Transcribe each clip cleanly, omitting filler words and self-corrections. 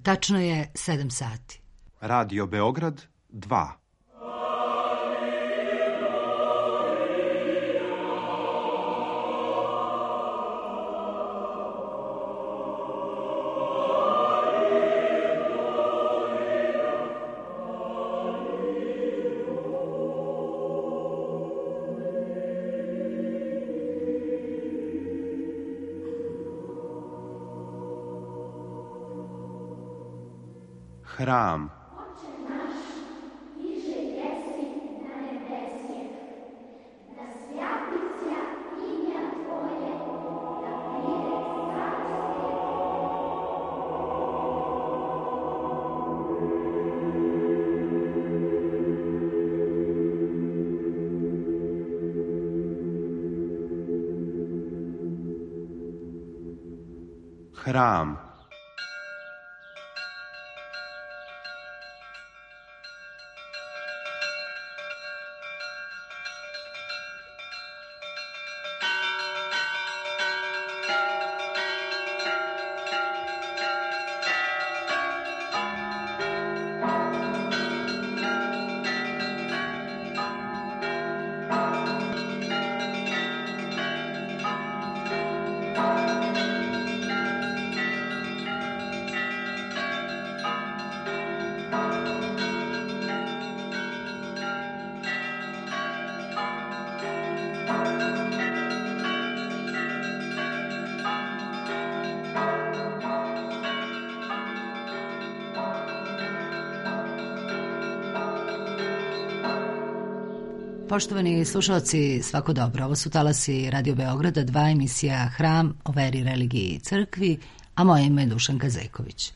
Tačno je 7 sati. Radio Beograd 2. Hram. Hram. Poštovani slušalci, svako dobro. Ovo su talasi Radio Beograda 2, emisija Hram o veri, religiji i crkvi, a moje ime je Dušanka Zeković.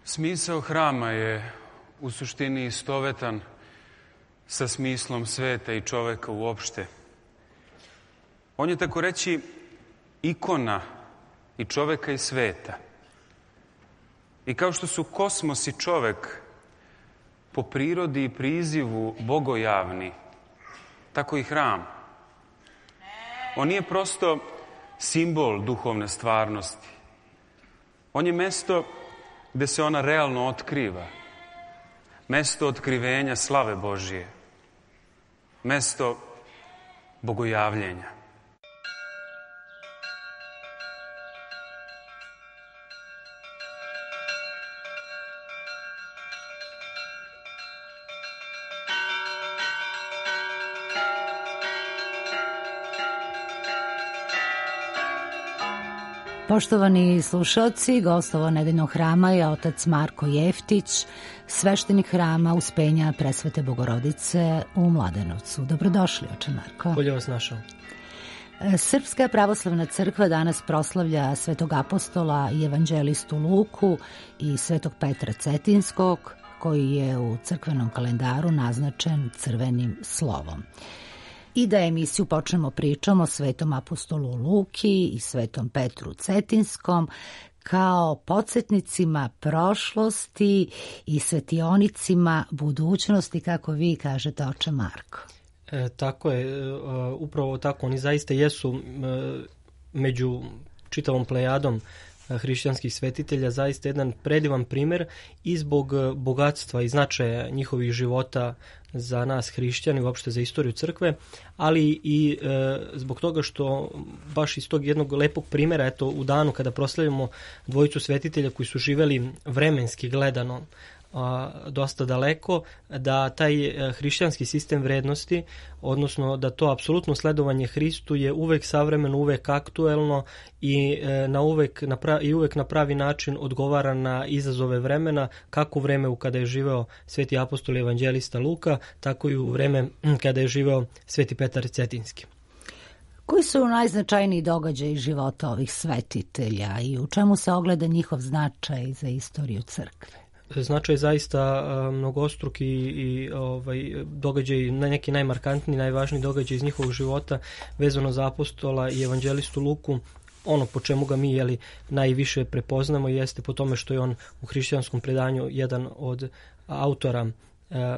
Smisao hrama je u suštini istovetan sa smislom sveta i čoveka uopšte. On je, tako reći, ikona i čoveka i sveta. I kao što su kosmos i čovek po prirodi i prizivu bogojavni, tako i hram. On nije prosto simbol duhovne stvarnosti. On je mesto gde se ona realno otkriva. Mesto otkrivenja slave Božije. Mesto bogojavljenja. Poštovani slušalci, gost ovo nedeljnog hrama je otac Marko Jeftić, sveštenik hrama Uspenja Presvete Bogorodice u Mladenovcu. Dobrodošli, oče Marko. Bolje vas našao. Srpska pravoslavna crkva danas proslavlja svetog apostola i evanđelistu Luku i svetog Petra Cetinskog, koji je u crkvenom kalendaru naznačen crvenim slovom. I da emisiju počnemo pričom o svetom apostolu Luki i svetom Petru Cetinskom kao podsjetnicima prošlosti i svetionicima budućnosti, kako vi kažete, oče Marko. Tako je, upravo tako. Oni zaista jesu među čitavom plejadom hrišćanskih svetitelja, zaista jedan predivan primjer i zbog bogatstva i značaja njihovih života za nas hrišćani, uopšte za istoriju crkve, ali i zbog toga što baš iz tog jednog lepog primjera, eto u danu kada proslavljamo dvojicu svetitelja koji su živeli vremenski gledano dosta daleko, da taj hrišćanski sistem vrednosti, odnosno da to apsolutno sledovanje Hristu je uvek savremeno, uvek aktuelno i uvek na pravi način odgovara na izazove vremena, kako u vreme kada je živeo sveti apostol i evanđelista Luka, tako i u vreme kada je živeo sveti Petar Cetinski. Koji su najznačajniji događaji života ovih svetitelja i u čemu se ogleda njihov značaj za istoriju crkve? Značaj zaista mnogostruki i događaj, neki najmarkantniji, najvažniji događaj iz njihovog života vezano za apostola i evanđelistu Luku. Ono po čemu ga mi najviše prepoznamo jeste po tome što je on u hrišćanskom predanju jedan od autora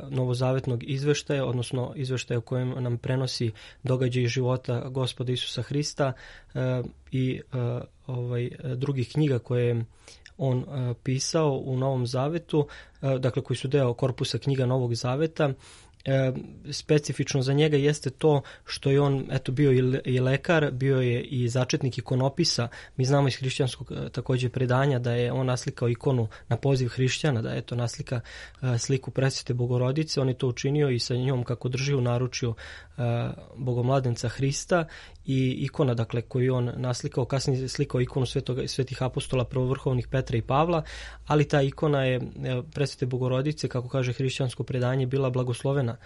novozavetnog izveštaja, odnosno izveštaja u kojem nam prenosi događaj života Gospoda Isusa Hrista i drugih knjiga koje je on pisao u Novom Zavetu, dakle koji su deo korpusa knjiga Novog Zaveta. Specifično za njega jeste to što je on bio i lekar, bio je i začetnik ikonopisa. Mi znamo iz hrišćanskog također predanja da je on naslikao ikonu na poziv hrišćana, da je to naslika sliku presvete Bogorodice. On je to učinio i sa njom kako drži u naručju Bogomladenca Hrista i ikona, dakle, koju on naslikao, kasnije slikao ikonu svetih apostola prvovrhovnih Petra i Pavla, ali ta ikona je presvete Bogorodice, kako kaže hrišćansko predanje, bila blagoslovena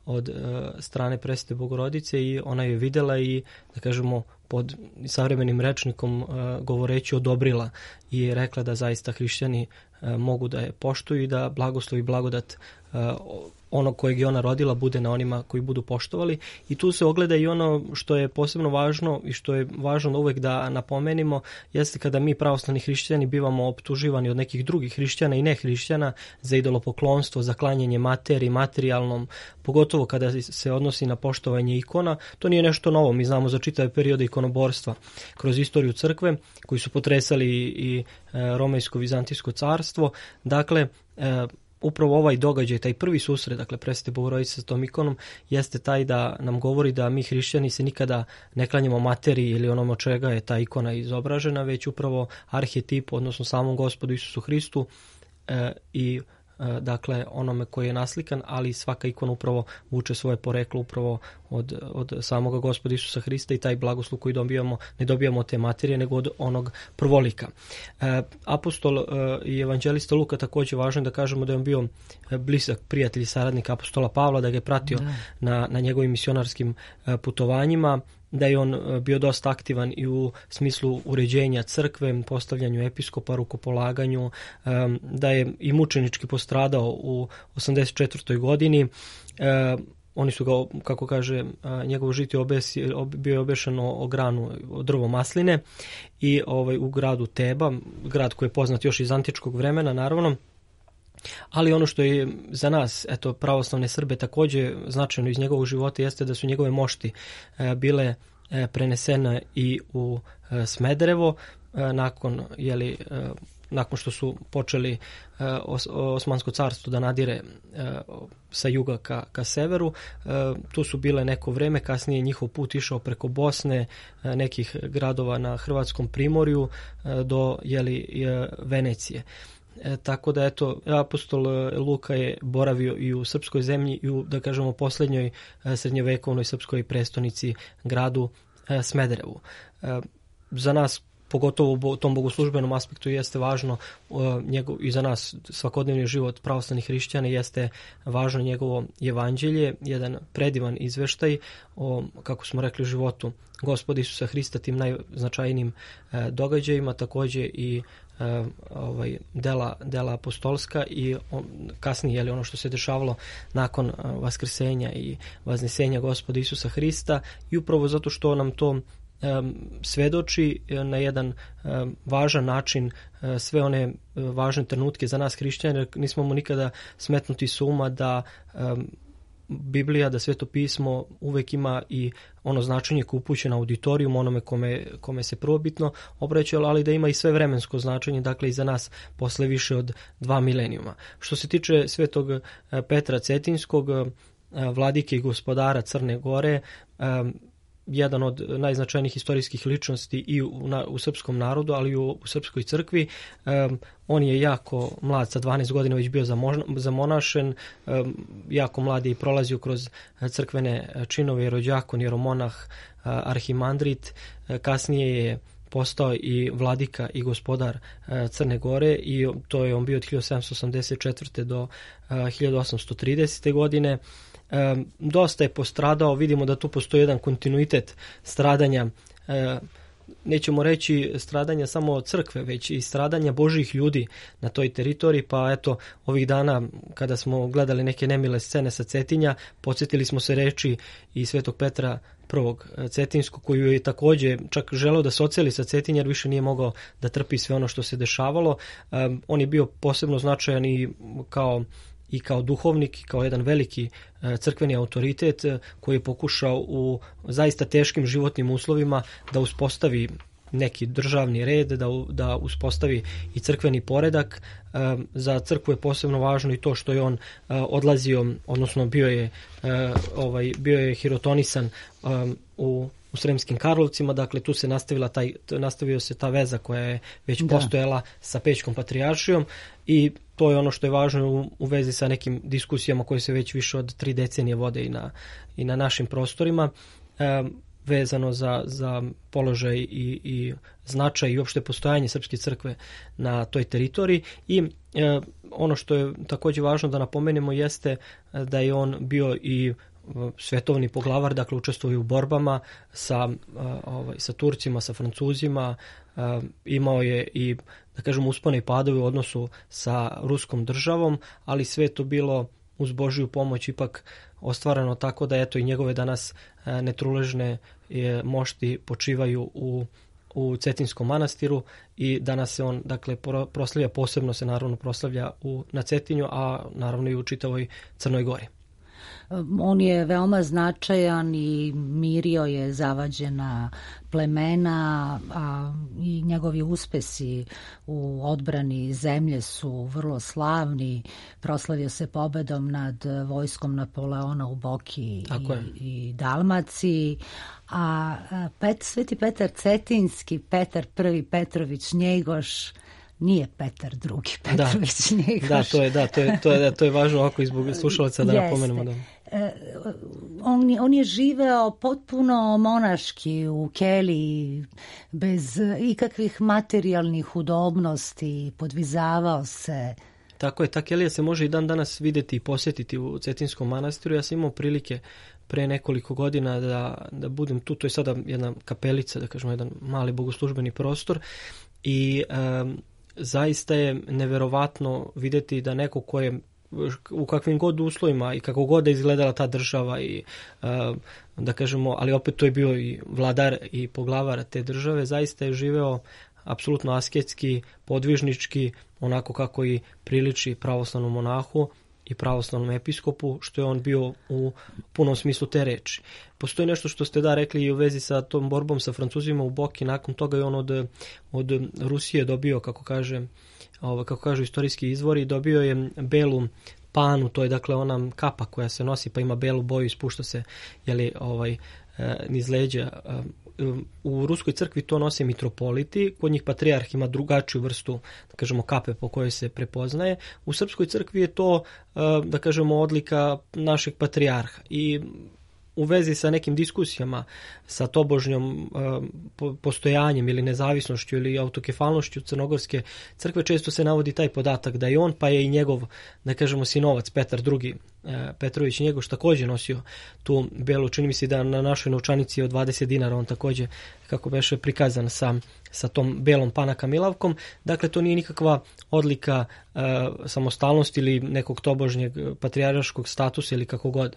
od strane presvete Bogorodice i ona je videla i, da kažemo, pod savremenim rečnikom govoreći odobrila i rekla da zaista hrišćani mogu da je poštuju i da blagoslov i blagodat onog kojeg je ona rodila bude na onima koji budu poštovali. I tu se ogleda i ono što je posebno važno i što je važno uvek da napomenimo, jeste kada mi pravoslavni hrišćani bivamo optuživani od nekih drugih hrišćana i nehrišćana za idolopoklonstvo, za klanjanje materiji, materijalnom, pogotovo kada se odnosi na poštovanje ikona. To nije nešto novo, mi znamo za čitave periode ikonoborstva kroz istoriju crkve koji su potresali i Romejsko-Vizantijsko carstvo. Dakle, upravo ovaj događaj, taj prvi susret, dakle, presvete Bogorodice sa tom ikonom, jeste taj da nam govori da mi hrišćani se nikada ne klanjamo materiji ili onom od čega je ta ikona izobražena, već upravo arhetipu, odnosno samom Gospodu Isusu Hristu i dakle onome koji je naslikan, ali svaka ikona upravo vuče svoje poreklo upravo od samoga Gospoda Isusa Hrista i taj blagoslov koji dobijamo, ne dobijamo od te materije, nego od onog prvolika. Apostol i evanđelista Luka također važno je da kažemo da je on bio blizak prijatelj i saradnik apostola Pavla, da ga je pratio na njegovim misionarskim putovanjima, da je on bio dosta aktivan i u smislu uređenja crkve, postavljanju episkopa, rukopolaganju, da je i mučenički postradao u 84. godini. Oni su ga, kako kaže, njegovo žitje bio je obešeno o granu, o drvo masline i u gradu Teba, grad koji je poznat još iz antičkog vremena, naravno. Ali ono što je za nas, pravoslavne Srbe, također značajno iz njegovog života jeste da su njegove mošti bile prenesene i u Smederevo nakon što su počeli Osmansko carstvo da nadire sa juga ka severu. Tu su bile neko vreme, kasnije njihov put išao preko Bosne, nekih gradova na Hrvatskom primorju do Venecije. Tako da apostol Luka je boravio i u srpskoj zemlji i u, da kažemo, posljednjoj srednjovekovnoj srpskoj prestonici, gradu Smederevu. Za nas, pogotovo u tom bogoslužbenom aspektu, jeste važno i za nas svakodnevni život pravoslavnih hrišćana jeste važno njegovo evanđelje, jedan predivan izveštaj o, kako smo rekli, životu Gospoda Isusa Hrista, tim najznačajnijim događajima, također i dela apostolska i kasnije ono što se dešavalo nakon vaskrsenja i vaznesenja Gospoda Isusa Hrista, i upravo zato što nam to svedoči na jedan važan način sve one važne trenutke za nas hrišćane. Nismo mu nikada smetnuti s uma da Biblija, da Sveto pismo uvek ima i ono značenje koje upućuje na auditorijum, onome kome se prvobitno obraćalo, ali da ima i sve vremensko značenje, dakle i za nas posle više od 2 milenijuma. Što se tiče Svetog Petra Cetinskog, vladike i gospodara Crne Gore, jedan od najznačajnijih istorijskih ličnosti i u srpskom narodu, ali i u srpskoj crkvi. On je jako mlad, sa 12 godina već bio zamonašen, jako mlad je i prolazio kroz crkvene činove, jerođakon, jeromonah, arhimandrit, kasnije je postao i vladika i gospodar Crne Gore i to je on bio od 1784. do 1830. godine. Dosta je postradao, vidimo da tu postoji jedan kontinuitet stradanja, nećemo reći stradanja samo od crkve, već i stradanja Božjih ljudi na toj teritoriji, pa eto ovih dana kada smo gledali neke nemile scene sa Cetinja, podsjetili smo se reči i Svetog Petra prvog Cetinskog, koju je također čak želeo da se oceli sa Cetinja jer više nije mogao da trpi sve ono što se dešavalo. On je bio posebno značajan i kao duhovnik, kao jedan veliki crkveni autoritet koji je pokušao u zaista teškim životnim uslovima da uspostavi neki državni red, da uspostavi i crkveni poredak. Za crkvu je posebno važno i to što je on odlazio, odnosno bio je hirotonisan u Sremskim Karlovcima, dakle tu se nastavio se ta veza koja je već postojala sa Pećkom patrijaršijom i to je ono što je važno u vezi sa nekim diskusijama koje se već više od 3 decenije vode i na našim prostorima, vezano za položaj i značaj i uopšte postojanje Srpske crkve na toj teritoriji. I ono što je također važno da napomenemo jeste da je on bio i svetovni poglavar, dakle učestvovao u borbama sa Turcima, sa Francuzima, imao je i, da kažemo, uspone i padove u odnosu sa ruskom državom, ali sve to bilo uz Božju pomoć ipak ostvareno tako da eto i njegove danas netruležne mošti počivaju u Cetinskom manastiru i danas se on, dakle, proslavlja, posebno se naravno proslavlja na Cetinju, a naravno i u čitavoj Crnoj Gori. On je veoma značajan i mirio je zavađena plemena, a i njegovi uspesi u odbrani zemlje su vrlo slavni. Proslavio se pobedom nad vojskom Napoleona u Boki i Dalmaciji. A Sveti Petar Cetinski, Petar I Petrović Njegoš, nije Petar II Petrović Njegoš. To je važno ovako i zbog slušalaca da napomenemo. Da. On je živeo potpuno monaški u keliji, bez ikakvih materijalnih udobnosti, podvizavao se. Tako je, ta kelija se može i dan danas vidjeti i posjetiti u Cetinskom manastiru. Ja sam imao prilike pre nekoliko godina da budem tu, to je sada jedna kapelica, da kažemo jedan mali bogoslužbeni prostor i zaista je neverovatno vidjeti da neko ko je u kakvim god uslovima i kako god da izgledala ta država i da kažemo, ali opet to je bio i vladar i poglavar te države, zaista je živeo apsolutno asketski, podvižnički, onako kako i priliči pravoslavnom monahu i pravoslavnom episkopu, što je on bio u punom smislu te reči. Postoji nešto što ste rekli i u vezi sa tom borbom sa Francuzima u Boki, nakon toga je on od Rusije dobio, kako kažu istorijski izvori, dobio je belu panu, to je dakle ona kapa koja se nosi pa ima belu boju i spušta se niz leđa. U Ruskoj crkvi to nose mitropoliti, kod njih patrijarh ima drugačiju vrstu, da kažemo, kape po kojoj se prepoznaje. U Srpskoj crkvi je to, da kažemo, odlika našeg patrijarha i u vezi sa nekim diskusijama sa tobožnjom postojanjem ili nezavisnošću ili autokefalnošću Crnogorske crkve često se navodi taj podatak da je on, pa je i njegov, da kažemo, sinovac Petar II Petrović Njegoš također nosio tu belu, čini mi se da na našoj novčanici od 20 dinara on također, kako beše, prikazan sa tom belom panaka milavkom. Dakle, to nije nikakva odlika samostalnosti ili nekog tobožnjeg patrijarškog statusa ili kako god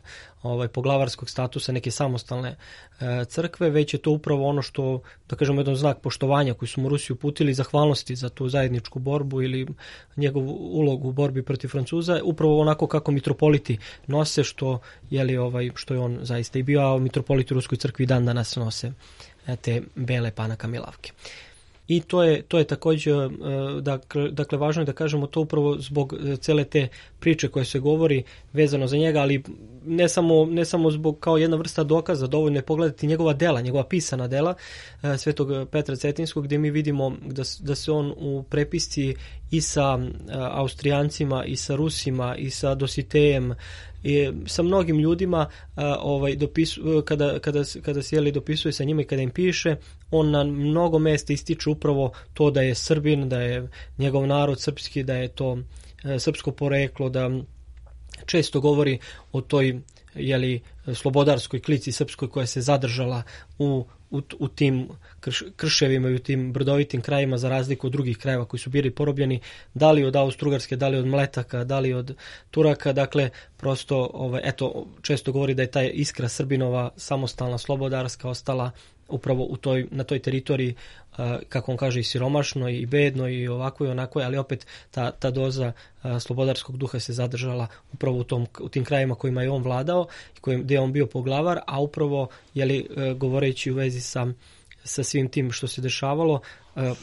poglavarskog statusa neke samostalne crkve, već je to upravo ono što, da kažemo, jedan znak poštovanja koji su mu Rusi uputili, zahvalnosti za tu zajedničku borbu ili njegovu ulogu u borbi protiv Francuza, upravo onako kako mitropoliti nose, što što je on zaista i bio, a mitropoliti u Ruskoj crkvi dan danas nose te bele Panaka Milavke. I to je također, dakle, važno je da kažemo to upravo zbog cele te priče koje se govori vezano za njega, ali ne samo zbog kao jedna vrsta dokaza, dovoljno je pogledati njegova dela, njegova pisana dela Svetog Petra Cetinskog, gdje mi vidimo da se on u prepisci i sa Austrijancima, i sa Rusima, i sa Dositejem, i sa mnogim ljudima kada se dopisuje sa njima i kada im piše, on na mnogo mesta ističe upravo to da je Srbin, da je njegov narod srpski, da je to srpsko poreklo, da često govori o toj slobodarskoj klici srpskoj koja se zadržala u tim krševima i u tim brdovitim krajima, za razliku od drugih krajeva koji su bili porobljeni, da li od Austro-Ugarske, da li od Mletaka, da li od Turaka. Dakle, prosto često govori da je ta iskra Srbinova samostalna, slobodarska ostala upravo na toj teritoriji, kako on kaže, i siromašno i bedno i ovako i onako, ali opet ta doza slobodarskog duha se zadržala upravo u tim krajima kojima je on vladao i gdje je on bio poglavar, a upravo govoreći u vezi sa svim tim što se dešavalo,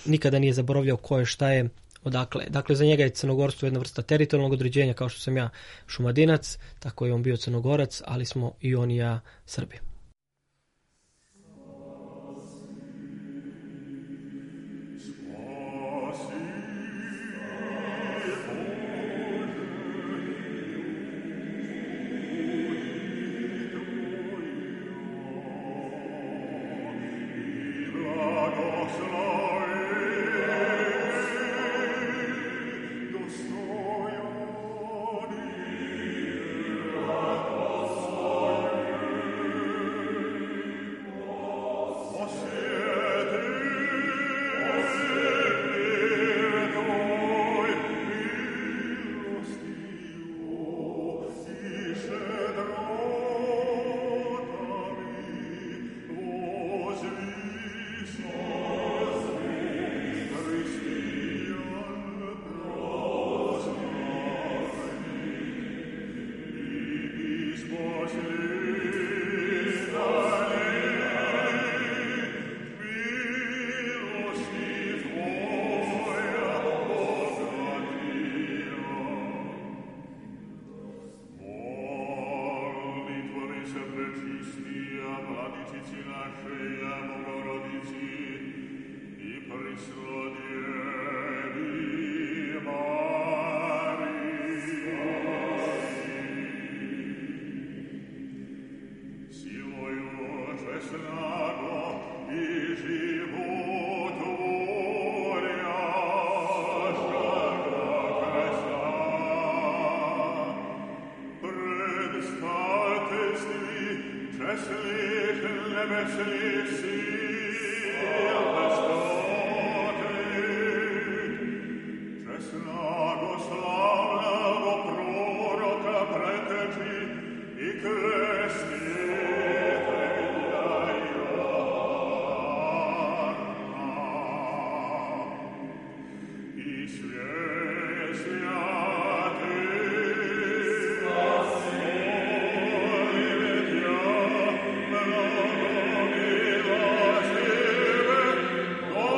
nikada nije zaboravljao ko je, šta je, odakle. Dakle, za njega je crnogorstvo jedna vrsta teritorijalnog određenja, kao što sam ja Šumadinac, tako je on bio Crnogorac, ali smo i on i ja Srbi. Oh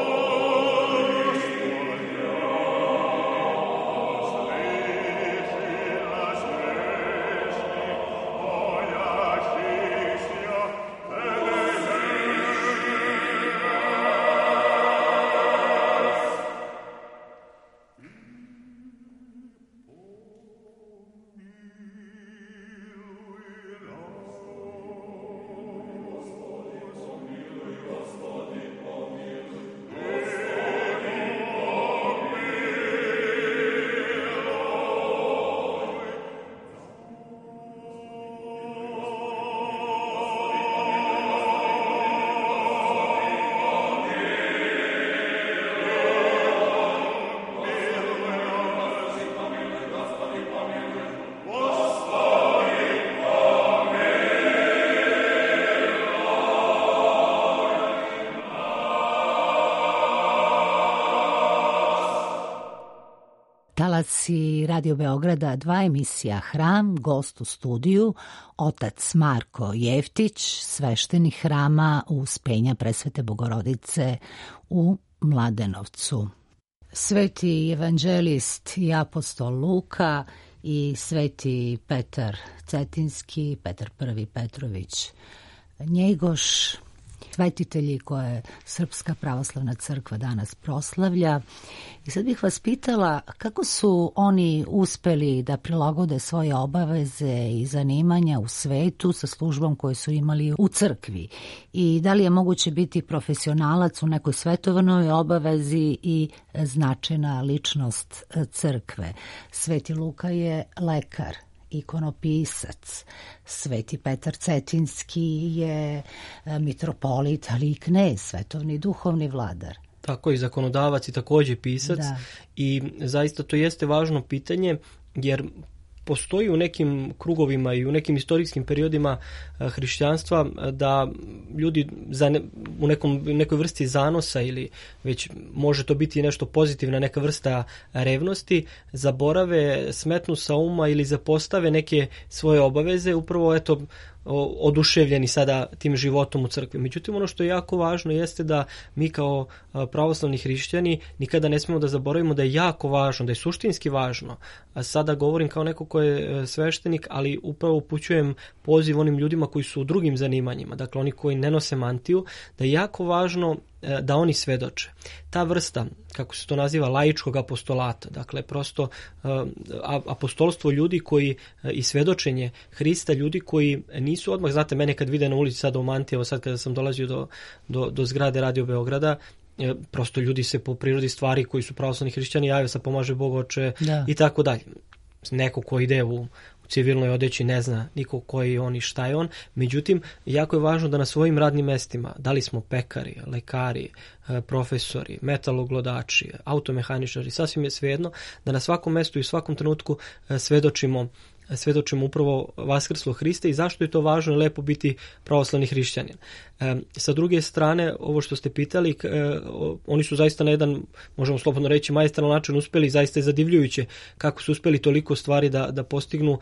talasci Radio Beograda 2 emisija Hram, gost u studiju, otac Marko Jeftić, sveštenik hrama Uspenja Presvete Bogorodice u Mladenovcu. Sveti evanđelist i apostol Luka i sveti Petar Cetinski, Petar I Petrović Njegoš, svetitelji koje Srpska pravoslavna crkva danas proslavlja. I sad bih vas pitala kako su oni uspeli da prilagode svoje obaveze i zanimanja u svetu sa službom koju su imali u crkvi i da li je moguće biti profesionalac u nekoj svetovnoj obavezi i značajna ličnost crkve. Sveti Luka je lekar, ikonopisac, sveti Petar Cetinski je mitropolit, ali i knez, svetovni duhovni vladar. Tako i zakonodavac i takođe pisac. Da. I zaista to jeste važno pitanje, jer postoji u nekim krugovima i u nekim istorijskim periodima hrišćanstva da ljudi u nekoj vrsti zanosa ili već može to biti nešto pozitivna, neka vrsta revnosti, zaborave, smetnu sa uma ili zapostave neke svoje obaveze, upravo oduševljeni sada tim životom u crkvi. Međutim, ono što je jako važno jeste da mi kao pravoslavni hrišćani nikada ne smemo da zaboravimo da je jako važno, da je suštinski važno. A sada govorim kao neko ko je sveštenik, ali upravo upućujem poziv onim ljudima koji su u drugim zanimanjima, dakle oni koji ne nose mantiju, da je jako važno da oni svedoče. Ta vrsta, kako se to naziva, laičkog apostolata, dakle prosto apostolstvo ljudi koji i svedočenje Hrista, ljudi koji nisu odmah, znate, mene kad vide na ulici sada u mantiji, evo sad kada sam dolazio do zgrade Radio Beograda, prosto ljudi se po prirodi stvari koji su pravoslavni hrišćani jave sa pomaže Bog Oče i tako dalje. Neko ko ide u civilnoj odeći ne zna niko koji je on i šta je on. Međutim, jako je važno da na svojim radnim mestima, da li smo pekari, lekari, profesori, metaloglodači, automehaničari, sasvim je svejedno, da na svakom mestu i svakom trenutku svedočimo upravo vaskrslo Hrista i zašto je to važno i lepo biti pravoslavni hrišćanin. Sa druge strane, ovo što ste pitali, oni su zaista na jedan, možemo slobodno reći, majestralan način uspeli, zaista je zadivljujuće kako su uspeli toliko stvari da postignu.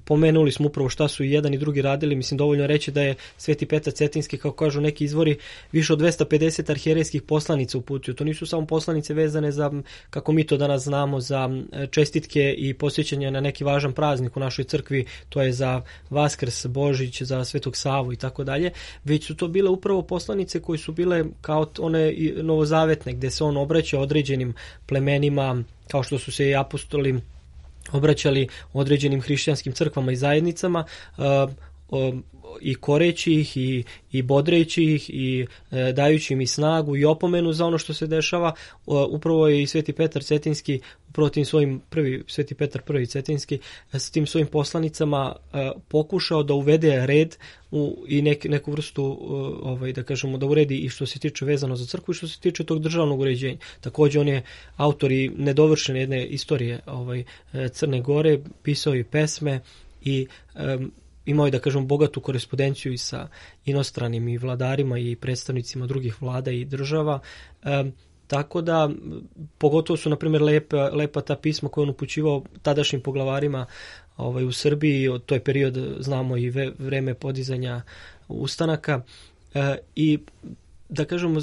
Pomenuli smo upravo šta su i jedan i drugi radili, mislim dovoljno reći da je sveti Petar Cetinski, kako kažu neki izvori, više od 250 arhijerejskih poslanica uputio. To nisu samo poslanice vezane za, kako mi to danas znamo, za čestitke i posjećanje na neki važan praznik u našoj crkvi, to je za Vaskrs, Božić, za Svetog Savu i tako dalje, već su to bile upravo poslanice koje su bile kao one novozavetne, gde se on obraća određenim plemenima, kao što su se i apostoli obraćali određenim hrišćanskim crkvama i zajednicama, i koreći ih i bodreći ih i dajući im i snagu i opomenu za ono što se dešava. Upravo je i sveti Petar Cetinski, upravo tim svojim sveti Petar I Cetinski s tim svojim poslanicama pokušao da uvede red i neku vrstu, da kažemo, da uredi i što se tiče vezano za crkvu i što se tiče tog državnog uređenja. Također on je autor i nedovršene jedne istorije Crne Gore, pisao i pesme i imao je, da kažem, bogatu korespondenciju i sa inostranim i vladarima i predstavnicima drugih vlada i država. Tako da, pogotovo su, na primjer, lepa ta pisma koje on upućivao tadašnjim poglavarima u Srbiji, to je period, znamo, i vreme podizanja ustanaka. I da kažemo,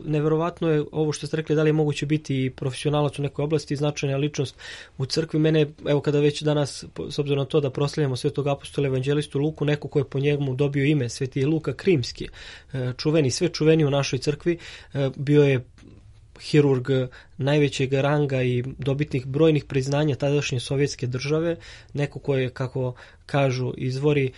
neverovatno je ovo što ste rekli, da li je moguće biti profesionalac u nekoj oblasti, značajna ličnost u crkvi. Mene, evo, kada već danas, s obzirom na to da proslavljamo svetog apostola evanđelistu Luku, neko ko je po njemu dobio ime, sveti Luka Krimski, sve čuveni u našoj crkvi, bio je hirurg najvećeg ranga i dobitnik brojnih priznanja tadašnje sovjetske države, neko ko je, kako kažu izvori,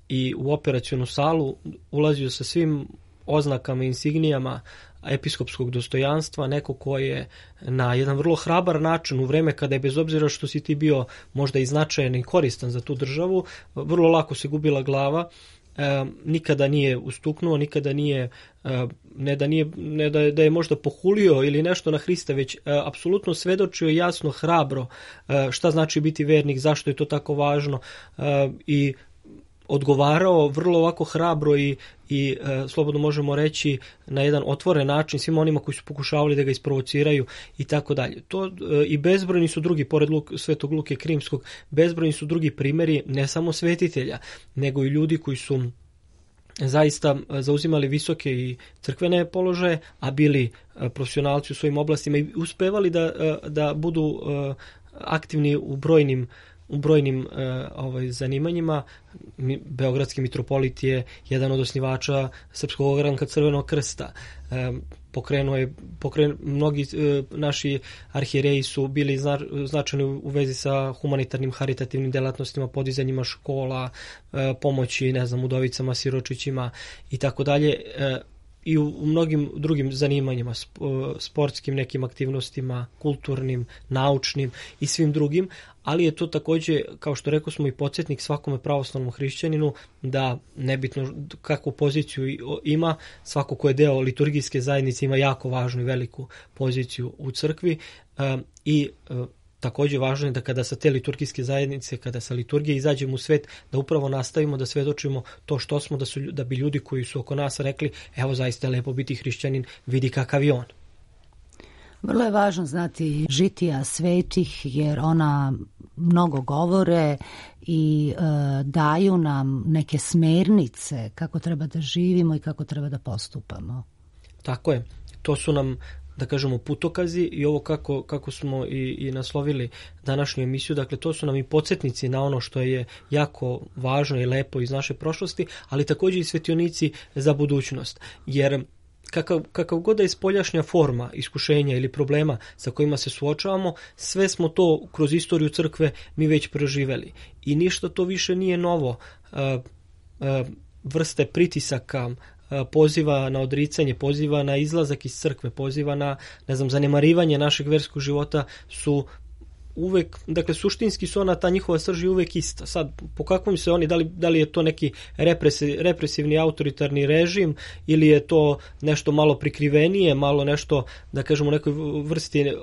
i u operacionu salu ulazio sa svim oznakama i insignijama episkopskog dostojanstva, neko ko je na jedan vrlo hrabar način u vreme kada je, bez obzira što si ti bio možda i značajan i koristan za tu državu, vrlo lako se gubila glava, nikada nije ustuknuo, nikada nije, ne da je možda pohulio ili nešto na Hrista, već apsolutno svedočio jasno, hrabro šta znači biti vernik, zašto je to tako važno i odgovarao vrlo ovako hrabro i slobodno možemo reći na jedan otvoren način svima onima koji su pokušavali da ga isprovociraju i tako dalje. To i bezbrojni su drugi, pored Svetog Luke Krimskog, bezbrojni su drugi primjeri ne samo svetitelja, nego i ljudi koji su zaista zauzimali visoke i crkvene položaje, a bili profesionalci u svojim oblastima i uspevali da budu aktivni u brojnim zanimanjima. Beogradski mitropolit je jedan od osnivača Srpskog ogranka Crvenog krsta. Mnogi naši arhijereji su bili značajni u vezi sa humanitarnim, haritativnim delatnostima, podizanjima škola, pomoći, udovicama, siročićima i tako dalje. I u mnogim drugim zanimanjima, sportskim nekim aktivnostima, kulturnim, naučnim i svim drugim, ali je to također, kao što rekao smo, i podsjetnik svakome pravoslavnom hrišćaninu da nebitno kakvu poziciju ima, svako ko je deo liturgijske zajednice ima jako važnu i veliku poziciju u crkvi i također važno je da kada sa te liturgijske zajednice, kada sa liturgije izađemo u svet, da upravo nastavimo da svedočimo to što smo, da bi ljudi koji su oko nas rekli, evo zaista je lepo biti hrišćanin, vidi kakav je on. Vrlo je važno znati žitija svetih, jer ona mnogo govore i daju nam neke smernice kako treba da živimo i kako treba da postupamo. Tako je. To su nam, da kažemo, putokazi i ovo kako smo i naslovili današnju emisiju, dakle to su nam i podsjetnici na ono što je jako važno i lepo iz naše prošlosti, ali također i svetionici za budućnost, jer kakav god da je spoljašnja forma iskušenja ili problema sa kojima se suočavamo, sve smo to kroz istoriju crkve mi već proživeli i ništa to više nije novo. Vrste pritisaka, poziva na odricanje, poziva na izlazak iz crkve, poziva na, zanemarivanje našeg verskog života su uvek, dakle suštinski su ta njihova srž je uvek ista. Sad, po kakvom se oni, da li je to neki represivni autoritarni režim ili je to nešto malo prikrivenije, malo nešto, da kažemo, nekoj vrsti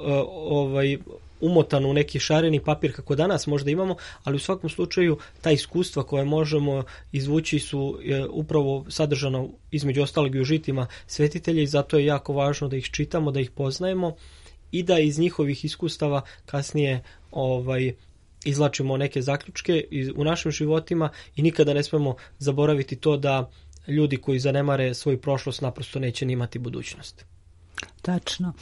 umotano u neki šareni papir kako danas možda imamo, ali u svakom slučaju ta iskustva koje možemo izvući su upravo sadržana između ostalog i u žitima svetitelja i zato je jako važno da ih čitamo, da ih poznajemo i da iz njihovih iskustava kasnije izvlačimo neke zaključke u našim životima i nikada ne smemo zaboraviti to da ljudi koji zanemare svoju prošlost naprosto neće ni imati budućnost. Tačno.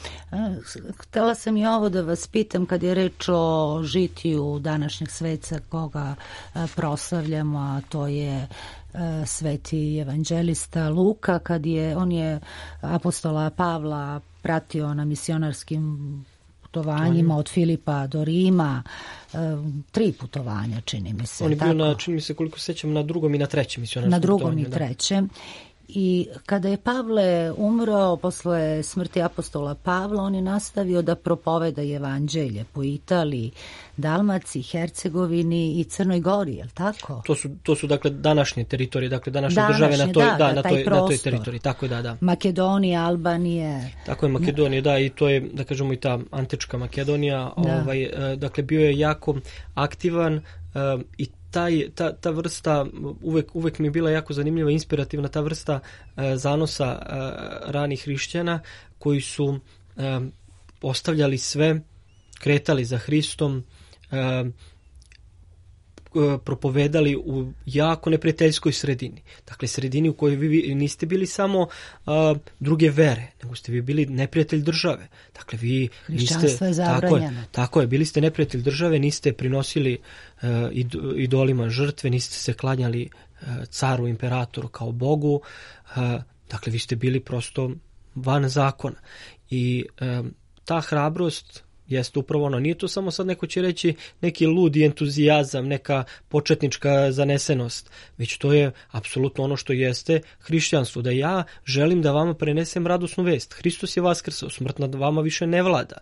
Htela sam i ovo da vas pitam kad je reč o žitiju današnjeg sveca koga proslavljamo, a to je sveti evanđelista Luka, on je apostola Pavla pratio na misionarskim putovanjima od Filipa do Rima, 3 putovanja, čini mi se. On je bio, čini mi se, koliko se sećam, na 2. i na 3. misionarskom putovanju. Na 2. i 3. I kada je Pavle umro posle smrti apostola Pavla, on je nastavio da propoveda evanđelje po Italiji, Dalmaciji, Hercegovini i Crnoj Gori, je li tako? To su dakle današnje teritorije, dakle današnje države na toj teritoriji, tako je, da. Makedonija, Albanije. Tako je, Makedonija, da, i to je, da kažemo, i ta antička Makedonija, dakle bio je jako aktivan i ta vrsta, uvek mi je bila jako zanimljiva, inspirativna ta vrsta zanosa ranih hrišćana koji su ostavljali sve, kretali za Hristom, propovedali u jako neprijateljskoj sredini. Dakle, sredini u kojoj vi niste bili samo druge vere, nego ste vi bili neprijatelj države. Dakle, vi hrišćanstvo je zabranjeno. Tako je, bili ste neprijatelj države, niste prinosili idolima žrtve, niste se klanjali caru, imperatoru kao Bogu. Dakle, vi ste bili prosto van zakona. I ta hrabrost jeste upravo ono. Nije to samo sad neko će reći neki ludi entuzijazam, neka početnička zanesenost, već to je apsolutno ono što jeste hrišćanstvo, da ja želim da vama prenesem radosnu vest. Hristos je vaskrsao, smrt nad vama više ne vlada.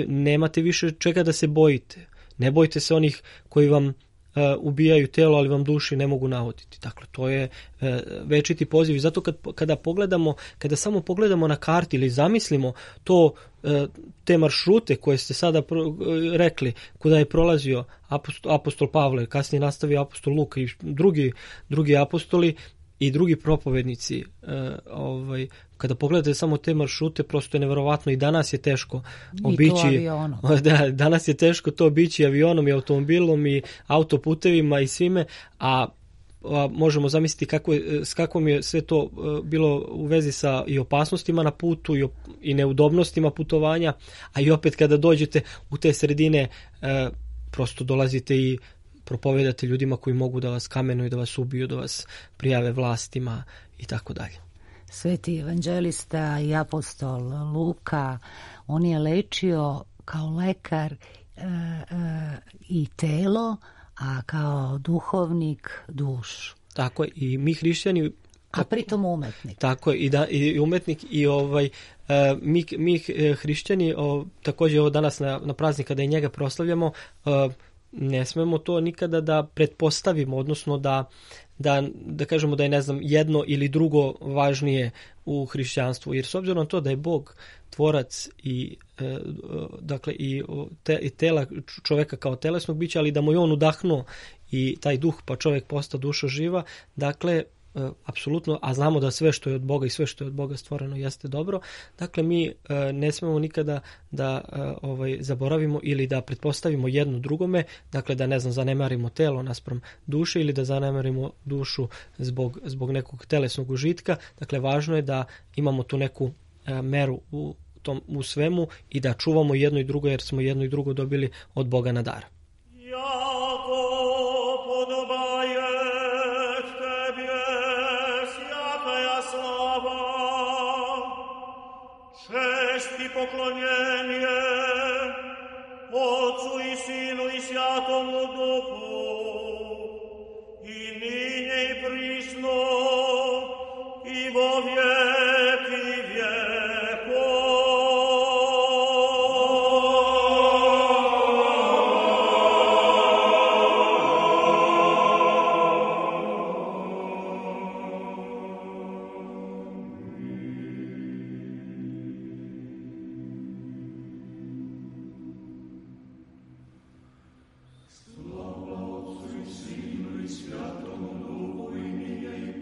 Nemate više čega da se bojite. Ne bojte se onih koji vam ubijaju telo, ali vam duši ne mogu navoditi. Dakle, to je večiti poziv. I zato kada samo pogledamo na karti ili zamislimo to, te maršrute koje ste sada rekli, kuda je prolazio apostol Pavle, kasnije nastavio apostol Luka i drugi apostoli i drugi propovednici, kada pogledate samo te maršrute, prosto je neverovatno. I danas je teško obići, danas je teško to obići avionom i automobilom i autoputevima i svime, a možemo zamisliti s kakvom je sve to bilo u vezi sa i opasnostima na putu i neudobnostima putovanja, a i opet kada dođete u te sredine, prosto dolazite i propovedate ljudima koji mogu da vas kamenuju, da vas ubiju, da vas prijave vlastima i tako dalje. Sveti evanđelista i apostol Luka, on je lečio kao lekar i telo, a kao duhovnik dušu. Tako je, i mi hrišćani, a pritom umetnik. Tako je, i umetnik i mi hrišćani, također ovo danas na praznik kada i njega proslavljamo, ne smemo to nikada da pretpostavimo, odnosno da kažemo da je, ne znam, jedno ili drugo važnije u hrišćanstvu, jer s obzirom na to da je Bog tvorac i dakle i tela čoveka kao telesnog bića, ali da mu je on udahnuo i taj duh, pa čovjek posta duša živa, dakle apsolutno, a znamo da sve što je od Boga i sve što je od Boga stvoreno jeste dobro. Dakle, mi ne smemo nikada da zaboravimo ili da pretpostavimo jedno drugome, dakle da, ne znam, zanemarimo telo naspram duše ili da zanemarimo dušu zbog nekog telesnog užitka. Dakle, važno je da imamo tu neku meru u svemu i da čuvamo jedno i drugo, jer smo jedno i drugo dobili od Boga na dar. Poklonjenje Otcu i Sinu i Svjatomu Duhu, i ninje i prisno i vo vijeki vijekov. Slava Otcu i Sinu i Svjatomu Duhu, i nije i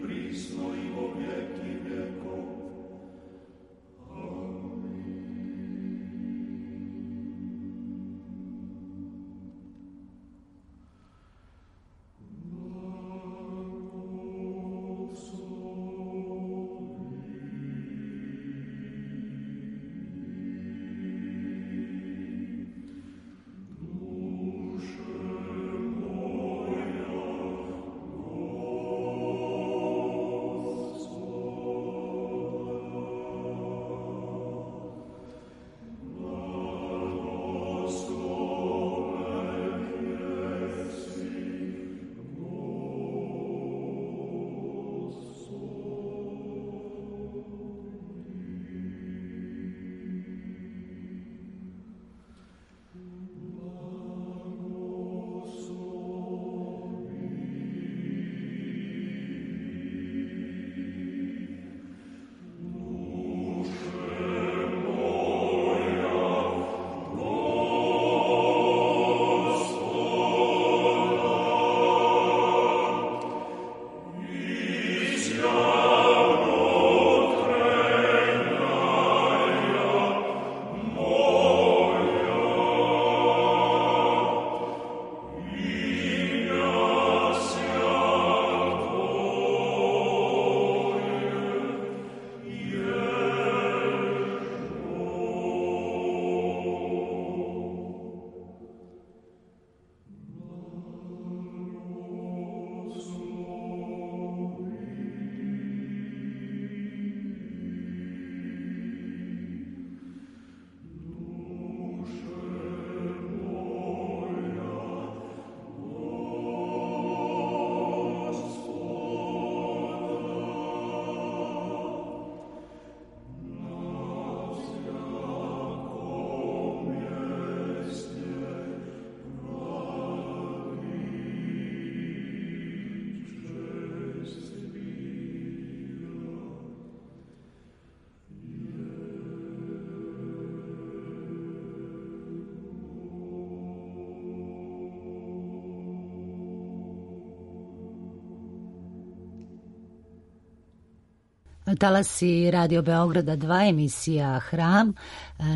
Talasi Radio Beograda 2, emisija Hram.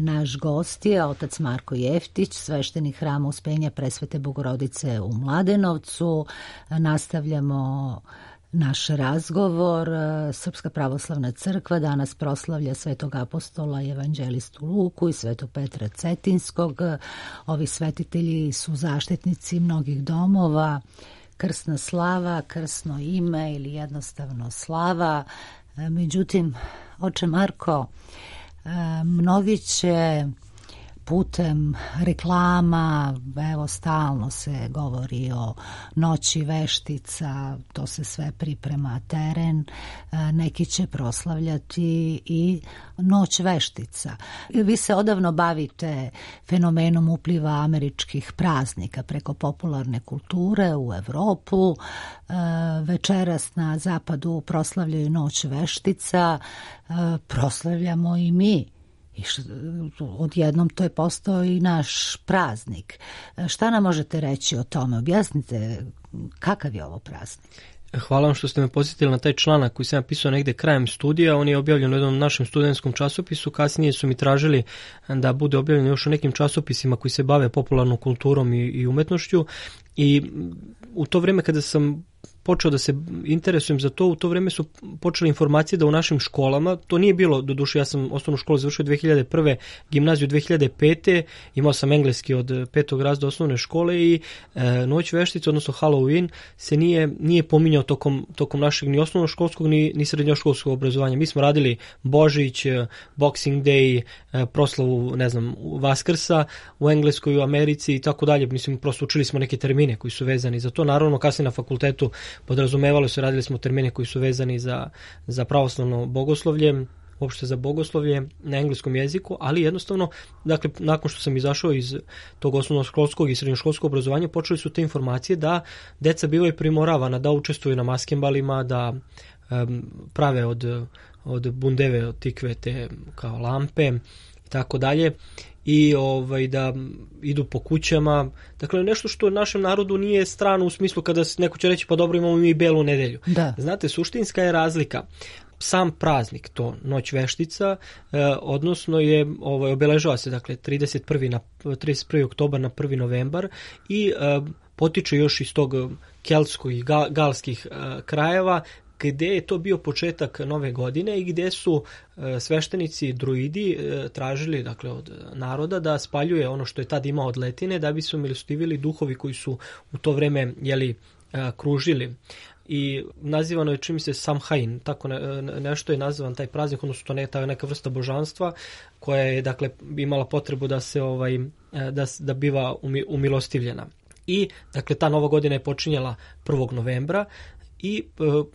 Naš gost je otac Marko Jeftić, sveštenik Hrama Uspenja Presvete Bogorodice u Mladenovcu. Nastavljamo naš razgovor. Srpska pravoslavna crkva danas proslavlja svetog apostola i evanđelistu Luku i svetog Petra Cetinskog. Ovi svetitelji su zaštitnici mnogih domova. Krsna slava, krsno ime ili jednostavno slava. Međutim, oče Marko, mnogi će putem reklama, evo stalno se govori o noći veštica, to se sve priprema teren, neki će proslavljati i noć veštica. Vi se odavno bavite fenomenom upliva američkih praznika preko popularne kulture u Evropu. Večeras na zapadu proslavljaju noć veštica, proslavljamo i mi. I odjednom to je postao i naš praznik. Šta nam možete reći o tome? Objasnite kakav je ovo praznik? Hvala vam što ste me podsjetili na taj članak koji sam napisao negde krajem studija. On je objavljen u jednom našem studentskom časopisu. Kasnije su mi tražili da bude objavljen još u nekim časopisima koji se bave popularnom kulturom i umetnošću. I u to vrijeme kada sam počeo da se interesujem za to, u to vrijeme su počele informacije da u našim školama, to nije bilo, doduše ja sam osnovnu školu završio 2001. gimnaziju 2005. Imao sam engleski od 5. razreda osnovne škole i noć veštica, odnosno Halloween, se nije pominjao tokom našeg ni osnovnoškolskog ni srednjoškolskog obrazovanja. Mi smo radili Božić, Boxing Day, proslavu, ne znam, Vaskrsa u Engleskoj, u Americi i tako dalje. Mislim, prosto učili smo neke termine koji su vezani za to. Naravno, kasnije na fakultetu podrazumevalo se, radili smo termine koji su vezani za pravoslavno bogoslovlje, uopšte za bogoslovlje na engleskom jeziku, ali jednostavno, dakle, nakon što sam izašao iz tog osnovnoškolskog i srednjoškolskog obrazovanja, počeli su te informacije da deca bivaju primoravana da učestvuju na maskembalima, da prave od bundeve, od tikve te kao lampe i tako dalje, i da idu po kućama. Dakle, nešto što našem narodu nije strano u smislu kada neko će reći pa dobro, imamo mi belu nedelju. Da. Znate, suštinska je razlika. Sam praznik, to noć veštica, odnosno je obeležava se, dakle, 31. oktobar na 1. novembar i potiče još iz tog keltskog i galskih krajeva, gdje je to bio početak nove godine i gdje su sveštenici druidi tražili, dakle, od naroda da spaljuje ono što je tad imao od letine, da bi se umilostivili duhovi koji su u to vrijeme kružili. I nazivano je, čini se, Samhain, tako nešto je nazvan taj praznik, odnosno to je neka vrsta božanstva koja je, dakle, imala potrebu da se da biva umilostivljena. I, dakle, ta nova godina je počinjala 1. novembra i